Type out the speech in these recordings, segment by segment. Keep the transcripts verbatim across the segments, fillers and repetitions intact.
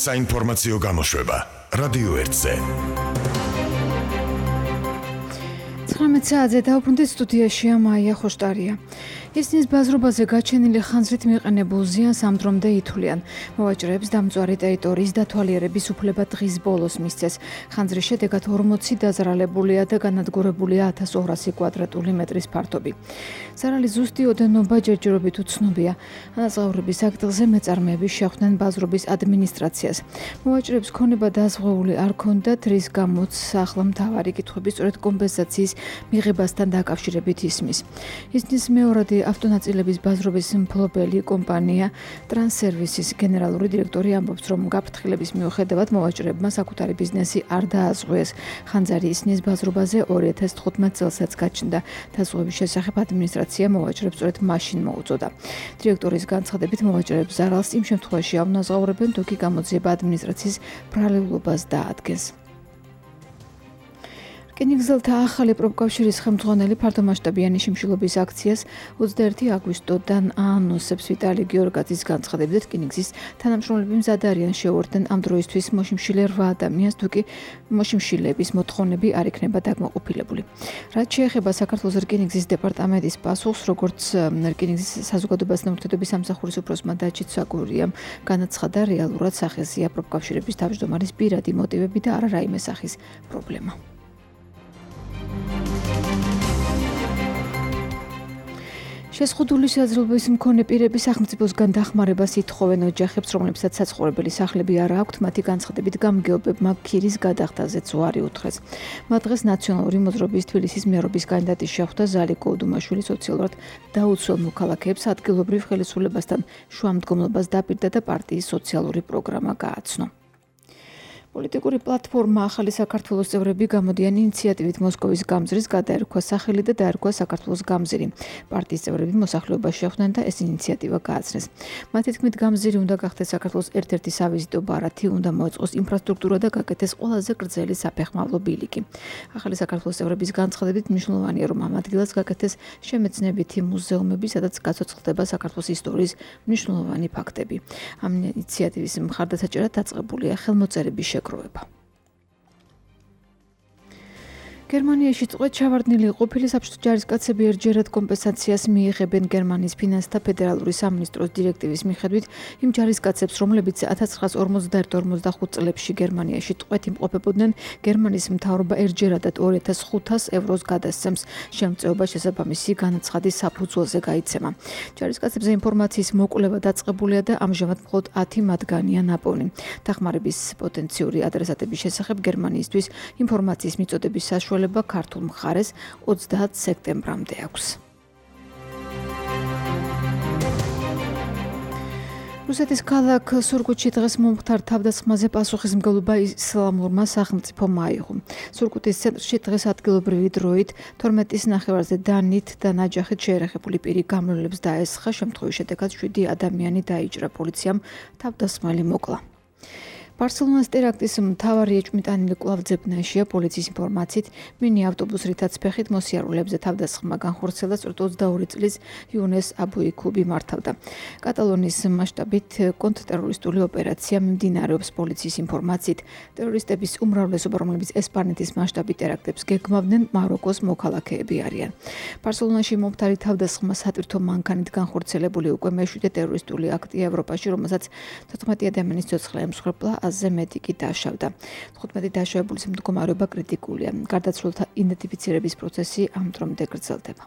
საინფორმაციო გამოშვება რადიო ერთზე. ცხრამეტ საათზე დაუბრუნდით სტუდიაშია მაია ხოშტარია. ისნის ბაზრობაზე გაჩენილი ხანძრით მიყენებულ ზიანს ამ დრომდე ითვლიან. მოვაჭრეებს დამწვარი ტერიტორიის დათვალიერების უფლება დღის ბოლოს მისცეს. ხანძრის შედეგად ორმოცი დაზრალებულია და განადგურებულია ათას ორასი კვადრატული მეტრის ფართობი. ზარალის ზუსტი ოდენობა ჯერჯერობით უცნობია. ანაზღაურების აქტზე მეწარმეები შეხვდნენ ბაზრობის ადმინისტრაციას. მოვაჭრეებს ქონება დაზღვეული არ ქონდათ, რის გამოც ახლა მთავარი კითხვები სწორედ კომპენსაციის მიღებასთან დაკავშირებით ისმის. ისნის მეორადი ავტონაწილების ბაზრობის მფლობელი კომპანია ტრანსსერვისის გენერალური დირექტორი ამბობს, რომ გაფრთხილების მიუხედავად მოვაჭრეებმა საკუთარი ბიზნესი არ დააზღვიეს. ხანძარი ისნის ბაზრობაზე ორი ათას თხუთმეტ წელსაც გაჩნდა. დაზღვევის შესახებ ადმინისტრაცია მოვაჭრეებს სწორედ მაშინ მოუწოდა. დირექტორის განცხადებით მოვაჭრეებს ზარალს იმ შემთხვევაში აუნაზღაურებენ, თუ კი გამოძიება ადმინისტრაციის ბრალეულობას დაადგენს. რკინიგზელთა ახალი პროფკავშირის ხელმძღვანელი ფართომასშტაბიანი შიმშილობის აქციას ოცდაერთი აგვისტოდან აანონსებს ვიტალი გიორგაძის განცხადებით, რკინიგზის თანამშრომლები მზად არიან შეუერთდნენ ამ დროისთვის მოშიმშილე რვა ადამიანს, თუ კი მოშიმშილების მოთხოვნები არ იქნება დაკმაყოფილებული. რაც შეეხება საქართველოს რკინიგზის დეპარტამენტის პასუხს, როგორც რკინიგზის საზოგადოებასთან ურთიერთობის სამსახურის უფროსმა დაჩით საკურიამ განაცხადა, რეალურად სახეზეა პროფკავშირების თავმჯდომარის პირადი მოტივები და არა რაიმე სახის პრობლემა. შეზღუდული შესაძლებლობის მქონე პირები სახელმწიფოსგან დახმარებას ითხოვენ ოჯახებს, რომლებსაც საცხოვრებელი სახლები არ აქვთ, მათი განცხადებით გამგეობებმა ქირის გადახდაზეც უარი უთხრეს. მათ დღეს ნაციონალური მოძრაობის თბილისის მერობის კანდიდატის შეხვდა ზალიკო უდუმაშვილი სოციალურად დაუცველ მოქალაქეებს ადგილობრივ ხელისუფლებასთან შუამდგომლობას დაპირდა და პარტიის სოციალური პროგრამა გააცნო. პოლიტიკური პლატფორმა ახალი საქართველოს წევრები გამოდიან ინიციატივით მოსკოვის გამზრის გადაერქვა სახელი და დაერქვა საქართველოს გამზირი. პარტიის წევრები მოსახლეობას შეხვდნენ და ეს ინიციატივა გააცნეს. მათი თქმით, გამზირი უნდა გახდეს საქართველოს ერთ-ერთი სავიზიტო ბარათი, უნდა მოეწყოს ინფრასტრუქტურა და გაკეთდეს ყველაზე გრძელი საფეხმავლო ბილიკი. ახალი საქართველოს წევრების განცხადებით მნიშვნელოვანია, რომ ამ ადგილას გაკეთდეს შემეცნებითი მუზეუმები, სადაც გაცოცხლდება საქართველოს ისტორიის მნიშვნელოვანი ფაქტები. ამ ინიციატივის მხარდასაჭერად დაწყებულია ხელმოწერების შეგროვება. გერმანიაში წყვეთ ჩავარდნილი ყოფილი საბჭოთა ჯარისკაცები ერთჯერად კომპენსაციას მიიღებენ. გერმანიის ფინანსთა ფედერალური სამინისტროს დირექტივის მიხედვით იმ ჯარისკაცებს, რომლებიც ათას ცხრაასი ორმოცდაერთი ორმოცდახუთ წლებში გერმანიაში წყვეთ იმყოფებოდნენ, გერმანიის მთავრობა ერთჯერადად ორი ათას ხუთას ევროს გადასცემს. შემწეობა შესაბამისი განაცხადის საფუძველზე გაიცემა. ჯარისკაცებზე ინფორმაციის მოკვლევა დაწყებულია და ამჟამად მხოლოდ ათი მათგანია ნაპოვნი. დახმარების პოტენციური ადრესატების შესახებ გერმანიისთვის ინფორმაციის მიწოდების საშუალება ქართულ მხარეს ოცდაათ სექტემბრამდე აქვს. რუსეთის ქალაქ სურგუთში დღეს მომხდარ თავდასხმაზე პასუხისმგებლობა ისლამურმა სახელმწიფომ აიღო. სურგუთის ცენტრში დღეს ადგილობრივი დროით თორმეტის ნახევარზე დანით და ნაჯახით შეერეხებული პირი გამრავლებს დაესხა. შემთხვევის შედეგად შვიდი ადამიანი დაიჭრა. პოლიციამ თავდასხმელი მოკლა. ბარსელონას ტერაქტის მთავარი ეჭვმიტანილი კვლავ ძებნაშია. პოლიციის ინფორმაციით, მინი ავტობუს რითაც ფეხით მოსიარულეებზე თავდასხმა განხორციელდა სწორედ ოცდაორი წლის იუნეს აბუიკუბი მართავდა. კატალონიის მასშტაბით კონტრტერორისტული ოპერაცია მიმდინარეობს. პოლიციის ინფორმაციით, ტერორისტების უმრავლესობა, რომლებიც ესპანეთის მასშტაბით ტერაქტებს გეგმავდნენ, მაროკოს მოქალაქეები არიან. ბარსელონაში მომხდარი თავდასხმა სატვირთო მანქანით განხორციელებული უკვე მეშვიდე ტერორისტული აქტია ევროპაში, რომელსაც თოთხმეტი ადამიანის ცოცხლა ემსხვერპლა. აზე მეტი კი დაშავდა. თხუთმეტი დაშავებულის მდგომარეობა კრიტიკულია. გარდაცვლილთა იდენტიფიცირების პროცესი ამ დრომდე გრძელდება.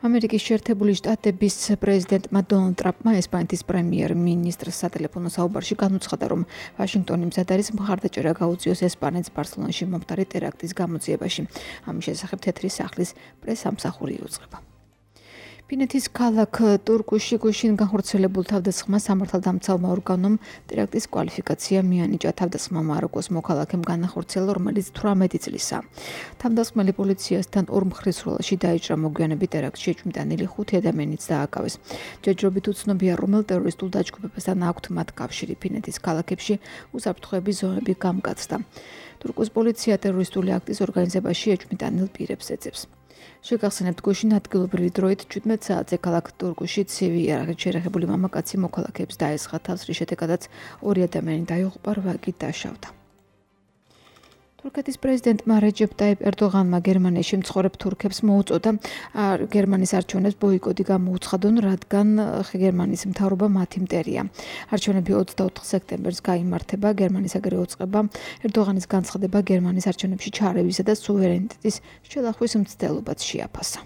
ამერიკის შეერთებული შტატების პრეზიდენტმა დონალდ ტრამპმა ესპანეთის პრემიერ-მინისტრს სატელეფონო საუბარში განუცხადა, რომ ვაშინგტონი მზად არის მხარდაჭერა გაუწიოს ესპანეთს ბარსელონაში მომხდარი ტერაქტის გამოძიებაში. ამის შესახებ თეთრი სახლის პრესამსახური იუწყება. ფინეთის ქალაქ ტურკუში გუშინ განხორციელებულ თავდასხმას სამართალდამცავმა ორგანომ ტერაქტის კვალიფიკაცია მიანიჭა. თავდასხმა მაროკოს მოქალაქემ განახორციელა, რომელიც თვრამეტი წლისაა. თავდასხმელი პოლიციასთან ორ მხრივ დაიჭრა. მოგვიანებით ტერაქტში ეჭვმიტანილი ხუთი ადამიანიც დააკავეს. ჯერჯერობით უცნობია, რომელ ტერორისტულ დაჯგუფებასთან აქვთ მათ კავშირი. ფინეთის ქალაქებში უსაფრთხოების ზონები გამკაცდა. თურქოს პოლიცია ტერორისტული აქტის ორგანიზებაში ეჭვმიტანილ პირებს ეძებს. შეგახსენებთ, გუშინ ადგილობრივი დროით ჩვიდმეტ საათზე ქალაქ ტურკუში ცივი იარაღით შერეხებული მამაკაცი მოქალაქეებს დაესხა თავს, რის შედეგადაც ორი ადამიანი დაიღუპა, რვაგი დაშავდა. თურქეთის პრეზიდენტმა რეჯეპ ტაიპ ერდოღანმა გერმანიაში მცხოვრებ თურქებს მოუწოდა გერმანიის არჩევნებს ბოიკოტი გამოუცხადონ, რადგან გერმანიის მთავრობა მათი მტერია. არჩევნები ოცდაოთხ სექტემბერს გაიმართება. გერმანიის აგრე უწყება ერდოღანის განცხადება გერმანიის არჩევნებში ჩაარევისა და სუვერენიტეტის შელახვის მცდელობაც შეაფასა.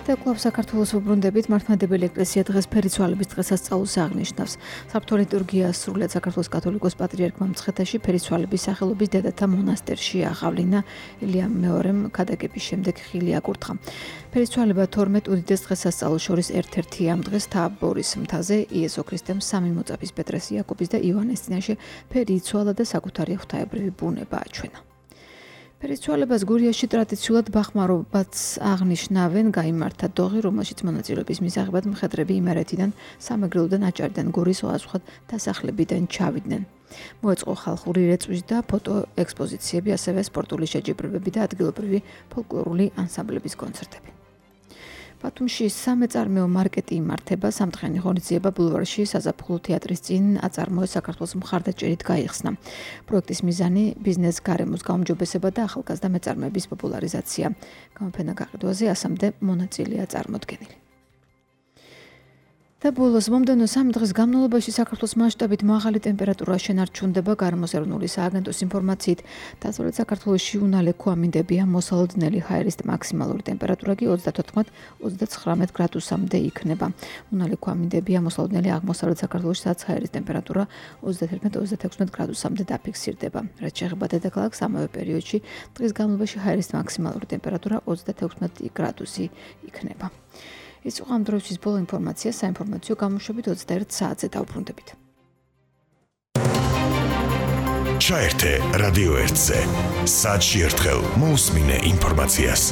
და კვლავ საქართველოს უბრუნდებით, მართლმადიდებელი ეკლესია დღეს ფერიცვალების დღესასწაულს აღნიშნავს. საბჭოთა ლიტურგია სრულიად საქართველოს კათოლიკოს პატრიარქმა მცხეთაში ფერიცვალების სახელობის დედათა მონასტერში აღავლინა. ილია მეორემ ქადაგების შემდეგ ხილი აკურთხა. ფერიცვალება თორმეტ უდიდეს დღესასწაულს შორის ერთ-ერთი ამ დღეს თაბორის მთაზე იესო ქრისტემ სამი მოწაფის პეტრეს, იაკობის და ივანეს წინაშე ფერი იცვალა და საკუთარი ღვთაებრივი ბუნება აჩვენა. ფერიცვალებას გურიაში ტრადიციულად ბახმარობაც აღნიშნავენ. გაიმართა დოღი, რომელშიც მონაწილეობის მისაღებად მხედრები იმერეთიდან, სამეგრელოდან, აჭარიდან, გურის სხვადასხვა დასახლებიდან ჩავიდნენ. მოეწყო ხალხური რეწვის და ფოტო ექსპოზიციები, ასევე სპორტული შეჯიბრებები და ადგილობრივი ფოლკლორული ანსამბლების კონცერტები. ბათუმში სამეწარმეო მარკეტი იმართება. სამთხენი ღონისძიება ბულვარში საზაფხულო თეატრის წინ აწარმოეს საქართველოს მხარდაჭერით გაიხსნა. პროექტის მიზანი ბიზნეს გარემოს გაუმჯობესება და ახალგაზრდა მეწარმეების პოპულარიზაცია. გამოფენა გაყიდვაზე ასამდე მონაწილეა წარმოდგენილი. და ბოლოს მომდევნო სამი დღის განმავლობაში საქართველოს მასშტაბით მაღალი ტემპერატურა შენარჩუნდება. გარემოს ეროვნული სააგენტოს ინფორმაციით, დასავლეთ საქართველოში უნალექო ამინდებია. მოსალოდნელი ჰაერის მაქსიმალური ტემპერატურა კი ოცდათოთხმეტ ოცდაცხრამეტ გრადუსამდე იქნება. უნალექო ამინდებია მოსალოდნელი აღმოსავლეთ საქართველოში, სადაც ჰაერის ტემპერატურა ოცდათერთმეტ ოცდათექვსმეტ გრადუსამდე დაფიქსირდება. რაც შეეხება დედაქალაქს, ამავე პერიოდში დღის განმავლობაში ჰაერის მაქსიმალური ტემპერატურა ოცდათექვსმეტ გრადუსი იქნება. ის იყო ამ დროისთვის ბოლო ინფორმაცია. საინფორმაციო გამოშვებით ოცდაერთ საათზე დავბრუნდებით. ჩაერთე რადიო ერთზე. საათში ერთხელ მოусმინე ინფორმაციას.